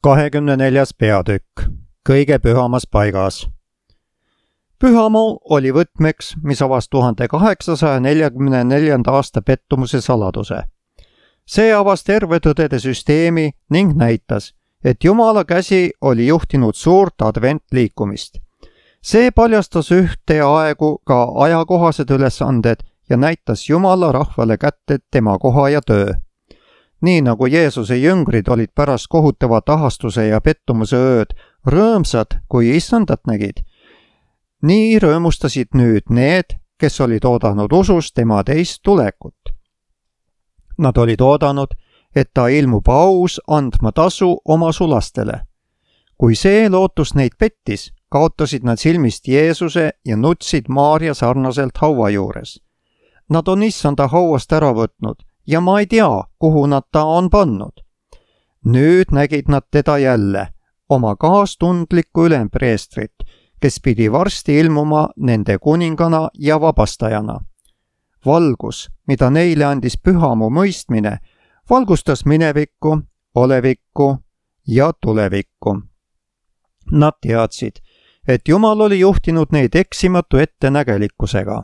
24. peatükk. Kõige pühamas paigas. Pühamaa oli võtmeks, mis avas 1844. aasta pettumuse saladuse. See avas terve tõdede süsteemi ning näitas, et Jumala käsi oli juhtinud suurt adventliikumist. See paljastas ühteaegu ka ajakohased ülesanded ja näitas Jumala rahvale kätte tema koha ja töö. Nii nagu Jeesuse jüngrid olid pärast kohutavat ahastuse ja pettumuse ööd rõõmsad, kui issandat nägid, nii rõõmustasid nüüd need, kes olid oodanud usus tema teist tulekut. Nad olid oodanud, et ta ilmub aus andma tasu oma sulastele. Kui see lootus neid pettis, kaotasid nad silmist Jeesuse ja nutsid Maarja sarnaselt haua juures. Nad on issanda hauast ära võtnud ja ma ei tea, kuhu nad ta on pannud. Nüüd nägid nad teda jälle, oma kaastundlikku ülempreestrit, kes pidi varsti ilmuma nende kuningana ja vabastajana. Valgus, mida neile andis pühamu mõistmine, valgustas minevikku, olevikku ja tulevikku. Nad teadsid, et Jumal oli juhtinud neid eksimatu ettenägelikkusega.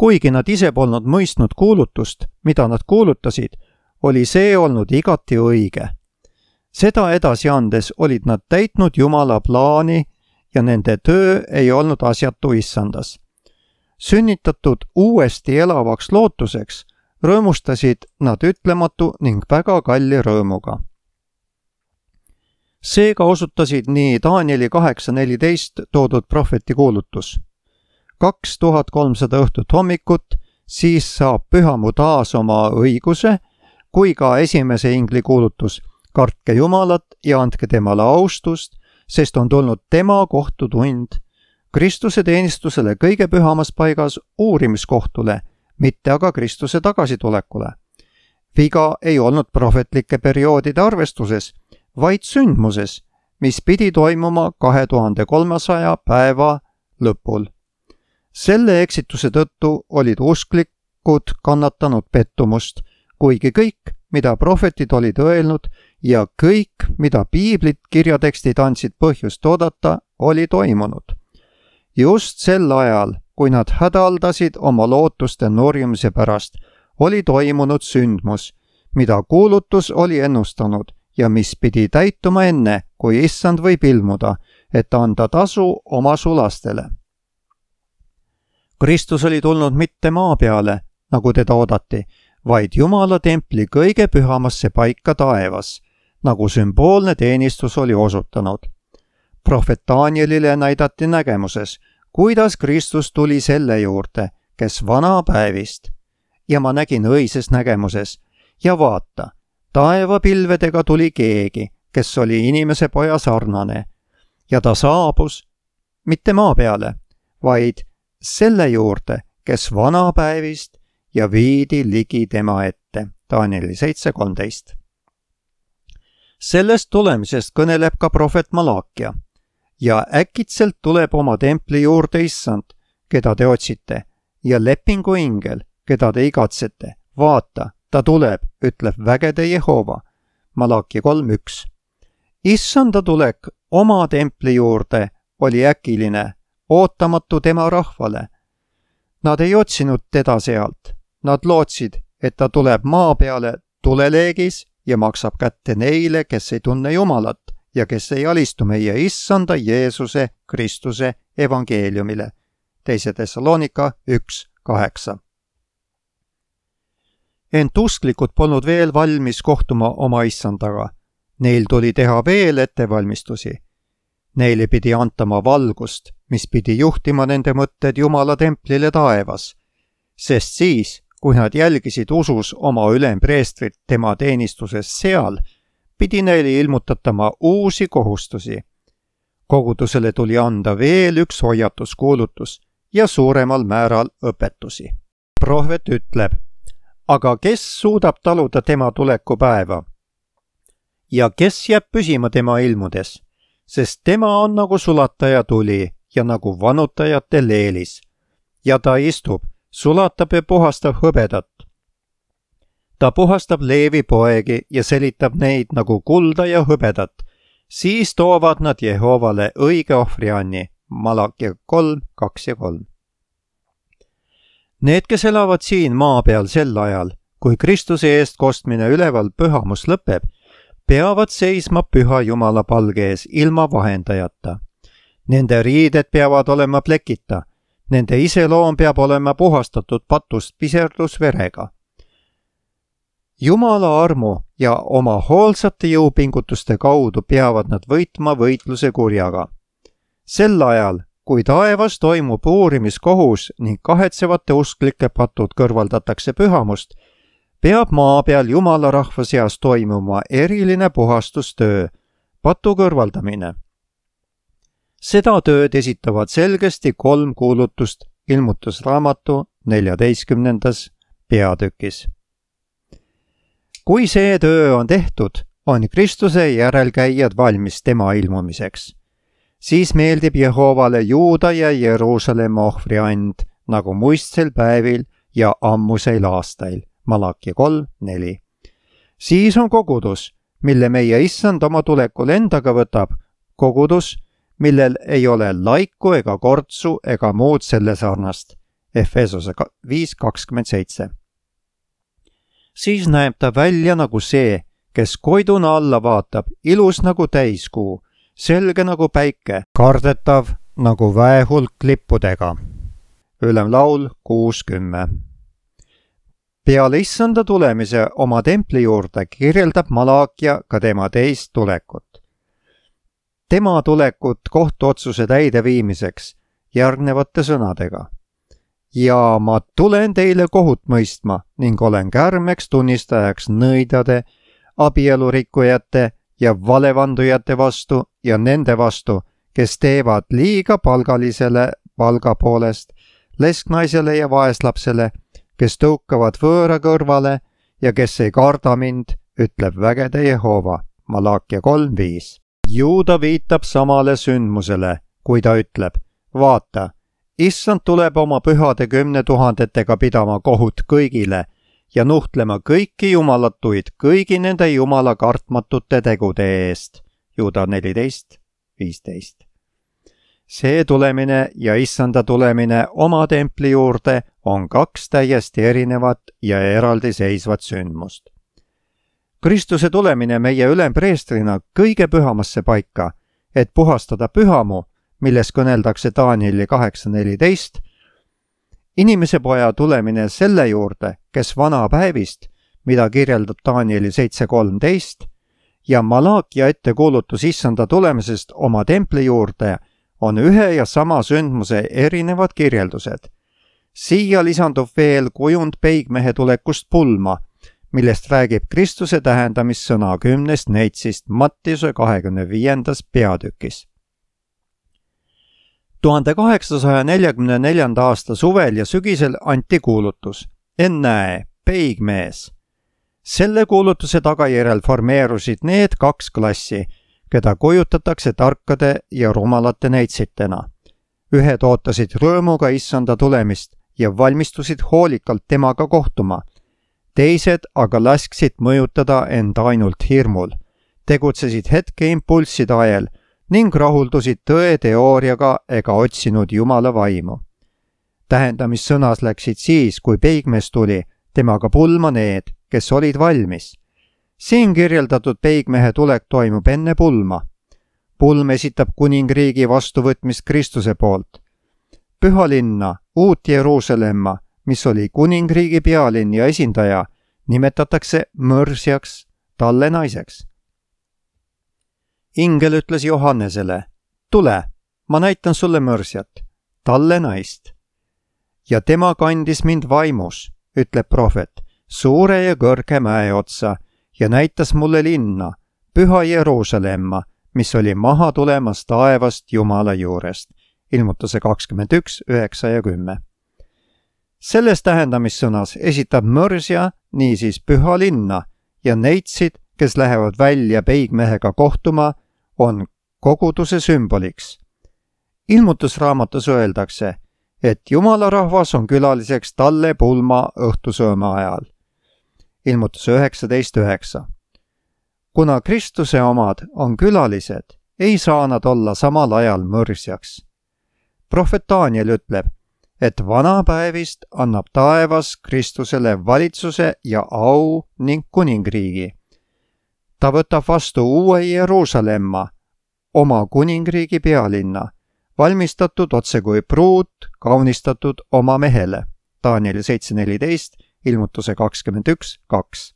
Kuigi nad ise polnud mõistnud kuulutust, mida nad kuulutasid, oli see olnud igati õige. Seda edasi andes olid nad täitnud Jumala plaani ja nende töö ei olnud asjatu issandas. Sünnitatud uuesti elavaks lootuseks rõõmustasid nad ütlematu ning väga kalli rõõmuga. Seega osutasid nii Danieli 8.14 toodud prohveti kuulutus. 2300 õhtut hommikut, siis saab pühamu taas oma õiguse, kui ka esimese ingli kuulutus, kartke Jumalat ja andke temale austust, sest on tulnud tema kohtutund, Kristuse teenistusele kõige pühamas paigas uurimiskohtule, mitte aga Kristuse tagasitulekule. Viga ei olnud prohvetlike perioodide arvestuses, vaid sündmuses, mis pidi toimuma 2300 päeva lõpul. Selle eksituse tõttu olid usklikud kannatanud pettumust, kuigi kõik, mida prohvetid olid öelnud ja kõik, mida piiblit kirjatekstid andsid põhjust oodata, oli toimunud. Just sel ajal, kui nad hädaldasid oma lootuste nurjumise pärast, oli toimunud sündmus, mida kuulutus oli ennustanud ja mis pidi täituma enne, kui issand võib ilmuda, et anda tasu oma sulastele. Kristus oli tulnud mitte maa peale, nagu teda oodati, vaid Jumala templi kõige pühamasse paika taevas, nagu sümboolne teenistus oli osutanud. Prohvet Danielile näidati nägemuses, kuidas Kristus tuli selle juurde, kes vana päevist. Ja ma nägin õises nägemuses ja vaata, taevapilvedega tuli keegi, kes oli inimese poja sarnane. Ja ta saabus mitte maa peale, vaid selle juurde, kes vana päevist ja viidi ligi tema ette. Danieli 7.13. Sellest tulemisest kõneleb ka prohvet Malakia. Ja äkitselt tuleb oma templi juurde issand, keda te otsite, ja lepingu ingel, keda te igatsete. Vaata, ta tuleb, ütleb vägede Jehova. Malakia 3.1. Issanda tulek oma templi juurde oli äkiline, ootamatu tema rahvale. Nad ei otsinud teda sealt. Nad lootsid, et ta tuleb maa peale tuleleegis ja maksab kätte neile, kes ei tunne Jumalat ja kes ei alistu meie issanda Jeesuse Kristuse evangeeliumile. 2. Thessalonika 1.8. Ent usklikud polnud veel valmis kohtuma oma issandaga. Neil tuli teha veel ettevalmistusi. Neile pidi antama valgust, mis pidi juhtima nende mõtted Jumala templile taevas. Sest siis, kui nad jälgisid usus oma ülempreestrit tema teenistuses seal, pidi neile ilmutatama uusi kohustusi. Kogudusele tuli anda veel üks hoiatuskuulutus ja suuremal määral õpetusi. Prohvet ütleb, aga kes suudab taluda tema tulekupäeva? Ja kes jääb püsima tema ilmudes? Sest tema on nagu sulataja tuli ja nagu vanutajate leelis. Ja ta istub, sulatab ja puhastab hõbedat. ta puhastab Leevi poegi ja selitab neid nagu kulda ja hõbedat. Siis toovad nad Jehovale õige ohvrianni. Malakia 3, 2 ja 3. Need, kes elavad siin maa peal sel ajal, kui Kristuse eest kostmine üleval pühamus lõpeb, peavad seisma püha Jumala palge ees ilma vahendajata. Nende riided peavad olema plekita, nende iseloom peab olema puhastatud patust piserdusverega. Jumala armu ja oma hoolsate jõupingutuste kaudu peavad nad võitma võitluse kurjaga. Sel ajal, kui taevas toimub uurimiskohus ning kahetsevate usklike patud kõrvaldatakse pühamust, peab maa peal Jumala rahva seas toimuma eriline puhastustöö, patu kõrvaldamine. Seda tööd esitavad selgesti 3 kuulutust Ilmutusraamatu 14. peatükis. Kui see töö on tehtud, on Kristuse järelkäijad valmis tema ilmumiseks. Siis meeldib Jehovale Juuda ja Jeruusalemma ohvriand, nagu muistsel päevil ja ammuseil aastail. Malakia 3, 4. Siis on kogudus, mille meie issand oma tulekul endaga võtab, kogudus, millel ei ole laiku ega kortsu ega muud selle sarnast. Efesose 5:27. Siis näeb ta välja nagu see, kes koiduna alla vaatab, ilus nagu täiskuu, selge nagu päike, kardetav nagu väehulk lippudega. Ülemlaul 6:10. Peale issanda tulemise oma templi juurde kirjeldab Malakia ka tema teist tulekut. Tema tulekut kohtuotsuse täideviimiseks järgnevate sõnadega. Ja ma tulen teile kohut mõistma ning olen kärmeks tunnistajaks nõidade, abielurikkujate ja valevandujate vastu ja nende vastu, kes teevad liiga palgalisele palga poolest, lesknaisele ja vaeslapsele, kes tõukavad võõra kõrvale ja kes ei karda mind, ütleb vägede Jehova. Malakia 3:5. Juuda viitab samale sündmusele, kui ta ütleb, vaata, issand tuleb oma pühade 10 000-tega pidama kohut kõigile ja nuhtlema kõiki jumalatuid kõigi nende jumala kartmatute tegude eest. Juuda 14:15. See tulemine ja issanda tulemine oma templi juurde on 2 täiesti erinevat ja eraldiseisvat sündmust. Kristuse tulemine meie ülempreestrina kõige pühamasse paika, et puhastada pühamu, milles kõneldakse Danieli 8:14, inimese poja tulemine selle juurde, kes vana päevist, mida kirjeldab Danieli 7:13, ja Malakia ettekuulutus issanda tulemisest oma templi juurde on ühe ja sama sündmuse erinevad kirjeldused. Siia lisandub veel kujund peigmehe tulekust pulma, millest räägib Kristuse tähendamissõna 10. neitsist Mattiuse 25. peatükis. 1844. aasta suvel ja sügisel anti kuulutus, ennäe, peigmees. Selle kuulutuse tagajärjel formeerusid need 2 klassi, keda kujutatakse tarkade ja rumalate neitsitena. Ühed ootasid rõõmuga issanda tulemist ja valmistusid hoolikalt temaga kohtuma. Teised aga lasksid mõjutada end ainult hirmul, tegutsesid hetke impulsside ajel ning rahuldusid tõe teooriaga ega otsinud Jumala vaimu. Tähendamissõnas läksid siis, kui peigmees tuli, temaga pulma need, kes olid valmis. Siin kirjeldatud peigmehe tulek toimub enne pulma. Pulm esitab kuningriigi vastuvõtmist Kristuse poolt. Pühalinna, Uut Jeruusalemma, mis oli kuningriigi pealinn ja esindaja, nimetatakse mõrsjaks, talle naiseks. Ingel ütles Johannesele, tule, ma näitan sulle mõrsjat, talle naist. Ja tema kandis mind vaimus, ütleb prohvet, suure ja kõrge mäe otsa ja näitas mulle linna, püha Jeruusalemma, mis oli maha tulemas taevast Jumala juurest. Ilmutuse 21, 9 ja 10. Selles tähendamissõnas esitab mõrsja niisiis püha linna ja neitsid, kes lähevad välja peigmehega kohtuma, on koguduse sümboliks. Ilmutusraamatus öeldakse, et Jumala rahvas on külaliseks talle pulma õhtusööma ajal. ilmutuse 19.9. Kuna Kristuse omad on külalised, ei saa nad olla samal ajal mõrsjaks. Prohvet Daniel ütleb, et vanapäevist annab taevas Kristusele valitsuse ja au ning kuningriigi. Ta võtab vastu uue Jeruusalemma, oma kuningriigi pealinna, valmistatud otse kui pruut, kaunistatud oma mehele. Danieli 7.14, ilmutuse 21.2.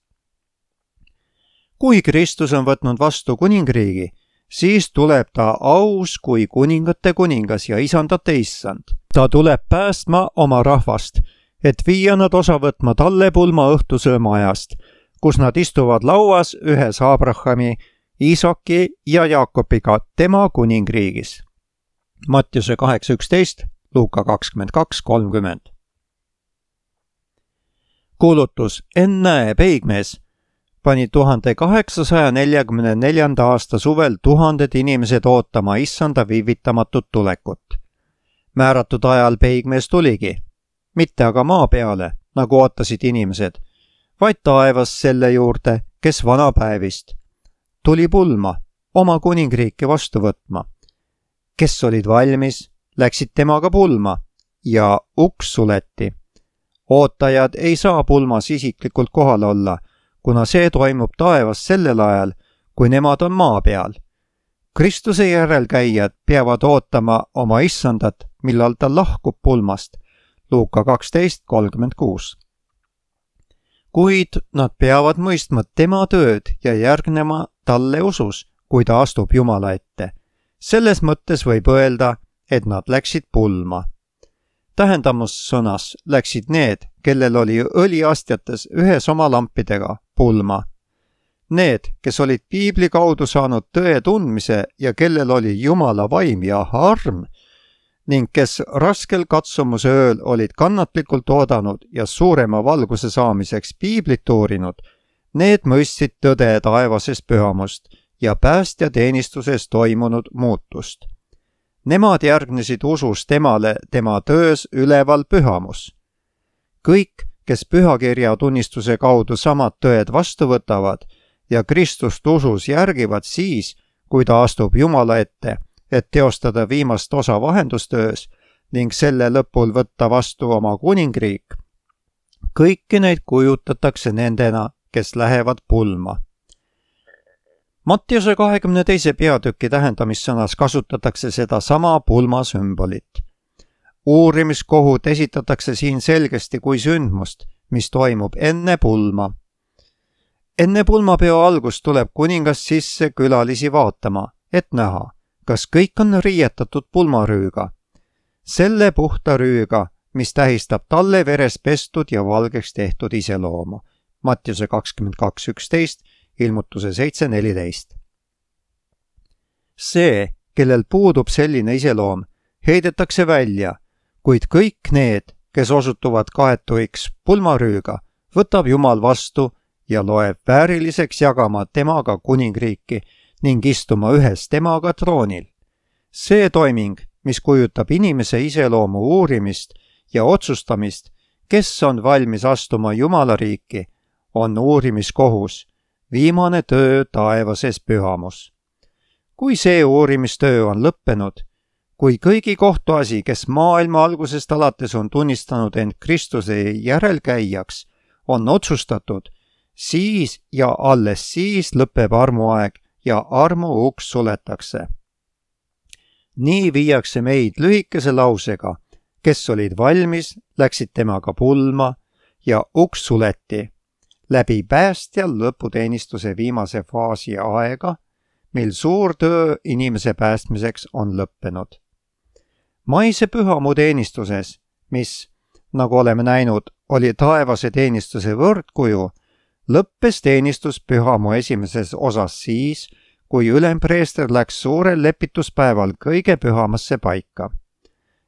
Kui Kristus on võtnud vastu kuningriigi, siis tuleb ta aus kui kuningate kuningas ja isandate issand. Ta tuleb päästma oma rahvast, et viia nad osa võtma talle pulma õhtusöömaajast, kus nad istuvad lauas ühes Abrahami, Iisaki ja Jaakobiga tema kuningriigis. Mattiuse 8.11, Luuka 22.30. Kuulutus Ennäe peigmees pani 1844. aasta suvel tuhanded inimesed ootama issanda viivitamatut tulekut. Määratud ajal peigmees tuligi, mitte aga maa peale, nagu ootasid inimesed, vaid taevas selle juurde, kes vanapäevist. Tuli pulma, oma kuningriiki vastu võtma. Kes olid valmis, läksid temaga pulma ja uks suleti. Ootajad ei saa pulmas isiklikult kohal olla, kuna see toimub taevas sellel ajal, kui nemad on maa peal. Kristuse järelkäijad peavad ootama oma issandat, millal ta lahkub pulmast. Luuka 12.36. Kuid nad peavad mõistma tema tööd ja järgnema talle usus, kui ta astub Jumala ette. Selles mõttes võib öelda, et nad läksid pulma. Tähendamussõnas läksid need, kellel oli õliastjates ühes oma lampidega pulma. Need, kes olid piibli kaudu saanud tõe tundmise ja kellel oli Jumala vaim ja arm ning kes raskel katsumuse ööl olid kannatlikult oodanud ja suurema valguse saamiseks piiblit uurinud, need mõistsid tõde taevasest pühamust ja päästjateenistuses toimunud muutust. Nemad järgnesid usus temale tema töös üleval pühamus. Kõik, kes pühakirja tunnistuse kaudu samad tõed vastu võtavad ja Kristust usus järgivad siis, kui ta astub Jumala ette, et teostada viimast osa vahendustöös ning selle lõpul võtta vastu oma kuningriik. Kõiki neid kujutatakse nendena, kes lähevad pulma. Mattiuse 22. peatüki tähendamissõnas kasutatakse seda sama pulma sümbolit. Uurimiskohut esitatakse siin selgesti kui sündmust, mis toimub enne pulma. Enne pulmapeo algust tuleb kuningas sisse külalisi vaatama, et näha, kas kõik on riietatud pulmarüüga. Selle puhta rüüga, mis tähistab talle veres pestud ja valgeks tehtud iseloomu. Mattiuse 22.11, ilmutuse 7.14. See, kellel puudub selline iseloom, heidetakse välja, kuid kõik need, kes osutuvad kaetuiks pulmarüüga, võtab Jumal vastu ja loeb vääriliseks jagama temaga kuningriiki ning istuma ühes temaga troonil. See toiming, mis kujutab inimese iseloomu uurimist ja otsustamist, kes on valmis astuma Jumala riiki, on uurimiskohus, viimane töö taevases pühamus. Kui see uurimistöö on lõppenud, kui kõigi kohtuasi, kes maailma algusest alates on tunnistanud end Kristuse järelkäijaks, on otsustatud, siis ja alles siis lõpeb armuaeg ja armu uks suletakse. Nii viiakse meid lühikese lausega, kes olid valmis, läksid temaga pulma ja uks suleti, läbi päästja lõputeenistuse viimase faasi aega, mil suur töö inimese päästmiseks on lõppenud. Maise pühamu teenistuses, mis, nagu oleme näinud, oli taevase teenistuse võrdkuju, lõppes teenistus pühamu esimeses osas siis, kui ülempreester läks suurel lepituspäeval kõige pühamasse paika.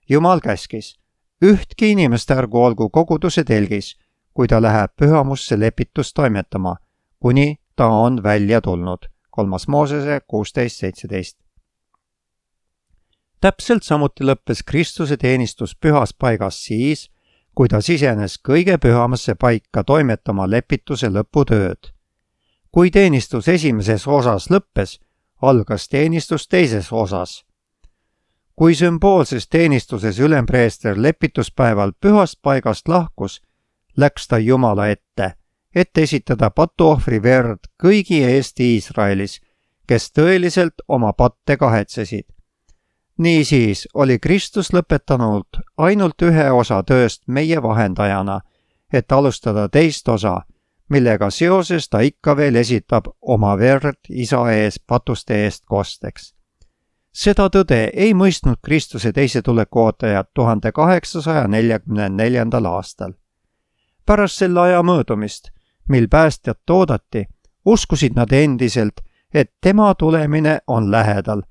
Jumal käskis, ühtki inimest ärgu olgu koguduse telgis, kui ta läheb pühamusse lepitust toimetama, kuni ta on välja tulnud. 3. Moosese 16.17. Täpselt samuti lõppes Kristuse teenistus pühas paigas siis, kui ta sisenes kõige pühamasse paika toimetama lepituse lõputööd. Kui teenistus esimeses osas lõppes, algas teenistus teises osas. Kui sümboolses teenistuses ülempreester lepituspäeval pühast paigast lahkus, läks ta Jumala ette, et esitada patuohvri verd kõigi eest Iisraelis, kes tõeliselt oma patte kahetsesid. Niisiis oli Kristus lõpetanud ainult ühe osa tööst meie vahendajana, et alustada teist osa, millega seoses ta ikka veel esitab oma verd Isa ees patuste eest kosteks. Seda tõde ei mõistnud Kristuse teise tuleku ootajad 1844. aastal. Pärast selle aja möödumist, mil päästjat oodati, uskusid nad endiselt, et tema tulemine on lähedal.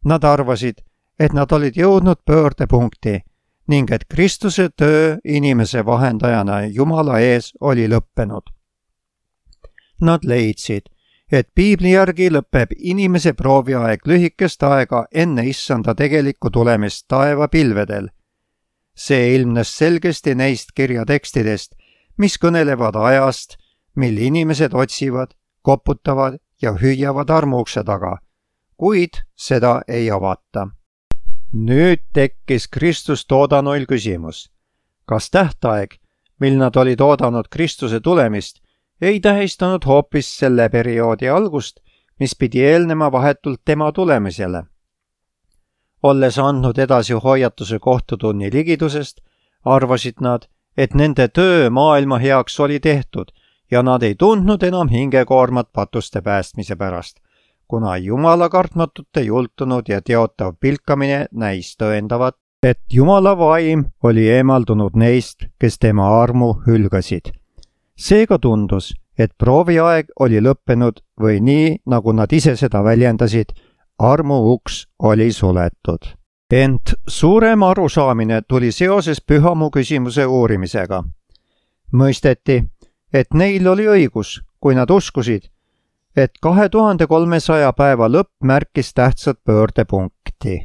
Nad arvasid, et nad olid jõudnud pöördepunkti ning et Kristuse töö inimese vahendajana Jumala ees oli lõppenud. Nad leidsid, et piibli järgi lõpeb inimese prooviaeg lühikest aega enne issanda tegelikku tulemist taevapilvedel. See ilmnes selgesti neist kirjatekstidest, mis kõnelevad ajast, mil inimesed otsivad, koputavad ja hüüavad armuukse taga, kuid seda ei avata. Nüüd tekkis Kristust oodanuil küsimus, kas tähtaeg, mil nad olid oodanud Kristuse tulemist, ei tähistanud hoopis selle perioodi algust, mis pidi eelnema vahetult tema tulemisele. Olles andnud edasi hoiatuse kohtutunni ligidusest, arvasid nad, et nende töö maailma heaks oli tehtud ja nad ei tundnud enam hingekoormat patuste päästmise pärast, kuna Jumala kartmatute jultunud ja teotav pilkamine näis tõendavat, et Jumala vaim oli eemaldunud neist, kes tema armu hülgasid. Seega tundus, et prooviaeg oli lõppenud või nii, nagu nad ise seda väljendasid, armu uks oli suletud. Ent suurem arusaamine tuli seoses pühamu küsimuse uurimisega. Mõisteti, et neil oli õigus, kui nad uskusid, et 2300 päeva lõpp märkis tähtsat pöördepunkti.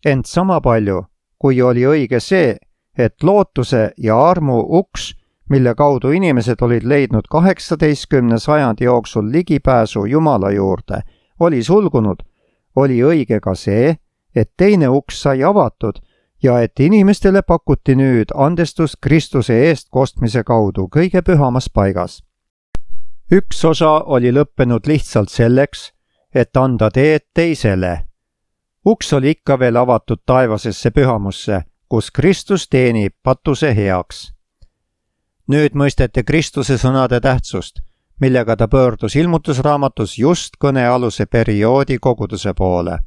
Ent sama palju, kui oli õige see, et lootuse ja armu uks, mille kaudu inimesed olid leidnud 18. sajandi jooksul ligipääsu Jumala juurde, oli sulgunud, oli õige ka see, et teine uks sai avatud ja et inimestele pakuti nüüd andestust Kristuse eest kostmise kaudu kõige pühamas paigas. Üks osa oli lõppenud lihtsalt selleks, et anda teed teisele. Uks oli ikka veel avatud taevasesse pühamusse, kus Kristus teenib patuse heaks. Nüüd mõisteti Kristuse sõnade tähtsust, millega ta pöördus ilmutusraamatus just kõnealuse perioodi koguduse poole.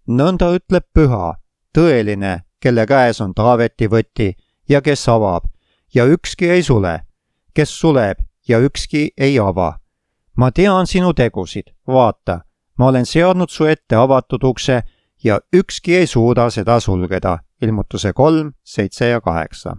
Nõnda ütleb püha, tõeline, kelle käes on Taaveti võti ja kes avab ja ükski ei sule, kes suleb ja ükski ei ava. Ma tean sinu tegusid, vaata, ma olen seadnud su ette avatud ukse ja ükski ei suuda seda sulgeda. Ilmutuse 3, 7 ja 8.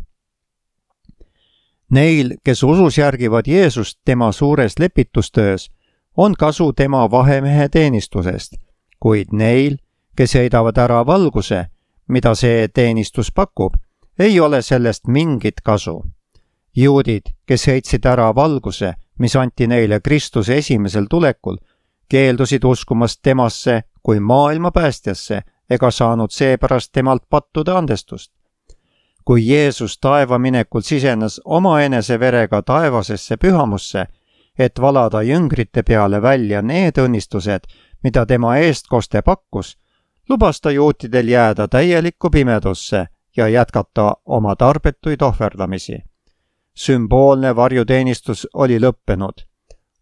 Neil, kes usus järgivad Jeesust tema suures lepitustöös, on kasu tema vahemehe teenistusest, kuid neil, kes heidavad ära valguse, mida see teenistus pakub, ei ole sellest mingit kasu. Juudid, kes heitsid ära valguse, mis anti neile Kristuse esimesel tulekul, keeldusid uskumast temasse kui maailma päästjasse ega saanud seepärast temalt pattude andestust. Kui Jeesus taeva minekul sisenes omaenese verega taevasesse pühamusse, et valada jüngrite peale välja need õnnistused, mida tema eestkoste pakkus, lubas ta juutidel jääda täielikku pimedusse ja jätkata oma tarbetuid ohverdamisi. Sümboolne varjuteenistus oli lõppenud.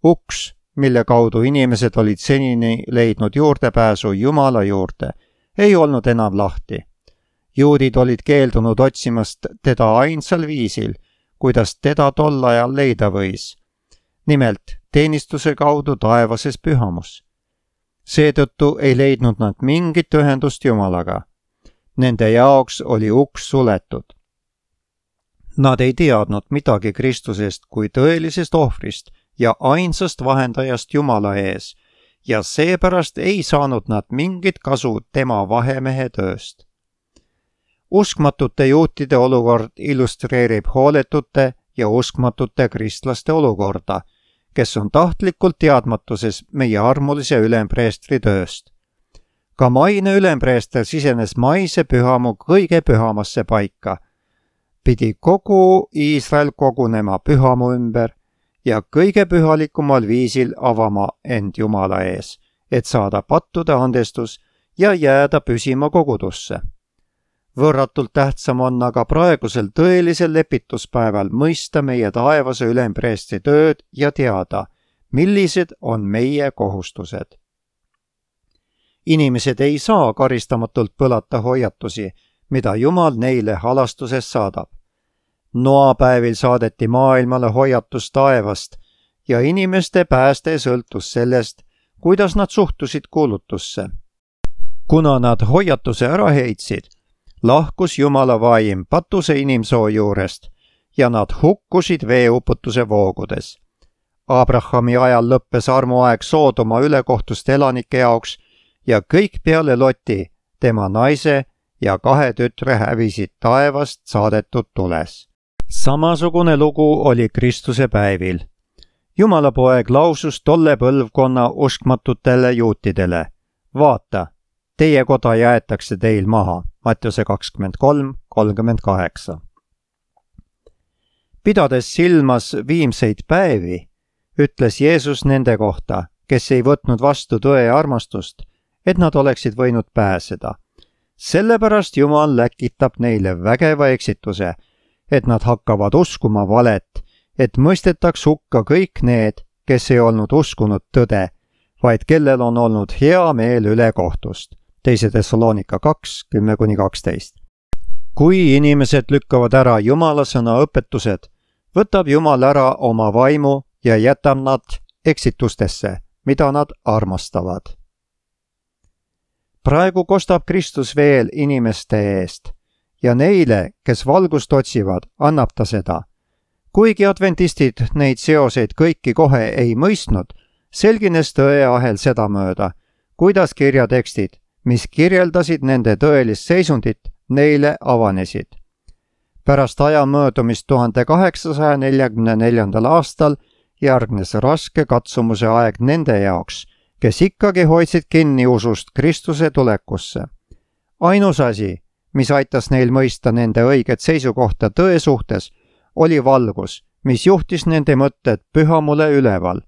Uks, mille kaudu inimesed olid senini leidnud juurdepääsu Jumala juurde, ei olnud enam lahti. Juudid olid keeldunud otsimast teda ainsal viisil, kuidas teda tol ajal leida võis. Nimelt teenistuse kaudu taevases pühamus. Seetõttu ei leidnud nad mingit ühendust Jumalaga. Nende jaoks oli uks suletud. Nad ei teadnud midagi Kristusest kui tõelisest ohvrist ja ainsast vahendajast Jumala ees ja seepärast ei saanud nad mingit kasu tema vahemehe tööst. uskmatute juutide olukord illustreerib hooletute ja uskmatute kristlaste olukorda, kes on tahtlikult teadmatuses meie armulise ülempreestri tööst. Ka maine ülempreester sisenes maise pühamu kõige pühamasse paika. Pidi kogu Iisrael kogunema pühamu ümber ja kõige pühalikumal viisil avama end Jumala ees, et saada pattude andestus ja jääda püsima kogudusse. Võrratult tähtsam on aga praegusel tõelisel lepituspäeval mõista meie taevase ülempreestri tööd ja teada, millised on meie kohustused. Inimesed ei saa karistamatult põlata hoiatusi, mida Jumal neile halastuses saadab. Noapäevil saadeti maailmale hoiatus taevast ja inimeste pääste sõltus sellest, kuidas nad suhtusid kuulutusse. Kuna nad hoiatuse ära heitsid, lahkus Jumala vaim patuse inimsoo juurest ja nad hukkusid veeuputuse voogudes. Abrahami ajal lõppes armuaeg Soodoma ülekohtuste elanike jaoks ja kõik peale Loti, tema naise ja 2 tütre hävisid taevast saadetud tules. Samasugune lugu oli Kristuse päevil. Jumala poeg lausus tolle põlvkonna uskmatutele juutidele: vaata, teie koda jäetakse teil maha. Mattiuse 23:38. Pidades silmas viimseid päevi, ütles Jeesus nende kohta, kes ei võtnud vastu tõe ja armastust, et nad oleksid võinud pääseda. Sellepärast Jumal läkitab neile vägeva eksituse, et nad hakkavad uskuma valet, et mõistetaks hukka kõik need, kes ei olnud uskunud tõde, vaid kellel on olnud hea meel ülekohtust. 2. Thessalonika 2:10-12. Kui inimesed lükkavad ära Jumala sõna õpetused, võtab Jumal ära oma vaimu ja jätab nad eksitustesse, mida nad armastavad. Praegu kostab Kristus veel inimeste eest ja neile, kes valgust otsivad, annab ta seda. Kuigi adventistid neid seoseid kõiki kohe ei mõistnud, selgines tõeahel sedamööda, kuidas kirjatekstid, mis kirjeldasid nende tõelist seisundit, neile avanesid. Pärast aja möödumist 1844. aastal järgnes raske katsumuse aeg nende jaoks, kes ikkagi hoidsid kinni usust Kristuse tulekusse. Ainus asi, mis aitas neil mõista nende õiget seisukohta tõe suhtes, oli valgus, mis juhtis nende mõtted pühamule üleval.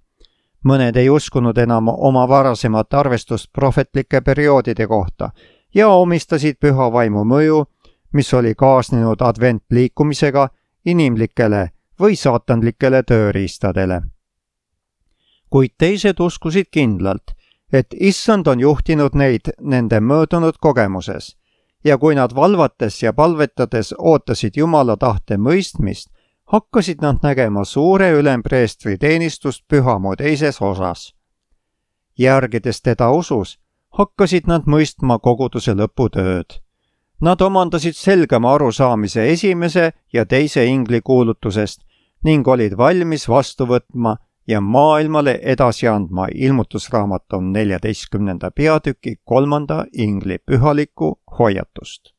Mõned ei uskunud enam oma varasemat arvestust prohvetlike perioodide kohta ja omistasid püha vaimu mõju, mis oli kaasnenud adventliikumisega, inimlikele või saatanlikele tööriistadele. Kuid teised uskusid kindlalt, et Issand on juhtinud neid nende möödunud kogemuses ja kui nad valvates ja palvetades ootasid Jumala tahte mõistmist, hakkasid nad nägema suure ülempreestri teenistust pühamu teises osas. Järgides teda usus, hakkasid nad mõistma koguduse lõputööd. Nad omandasid selgema arusaamise esimese ja teise ingli kuulutusest ning olid valmis vastu võtma ja maailmale edasi andma ilmutusraamatu 14. peatüki 3. ingli pühalikku hoiatust.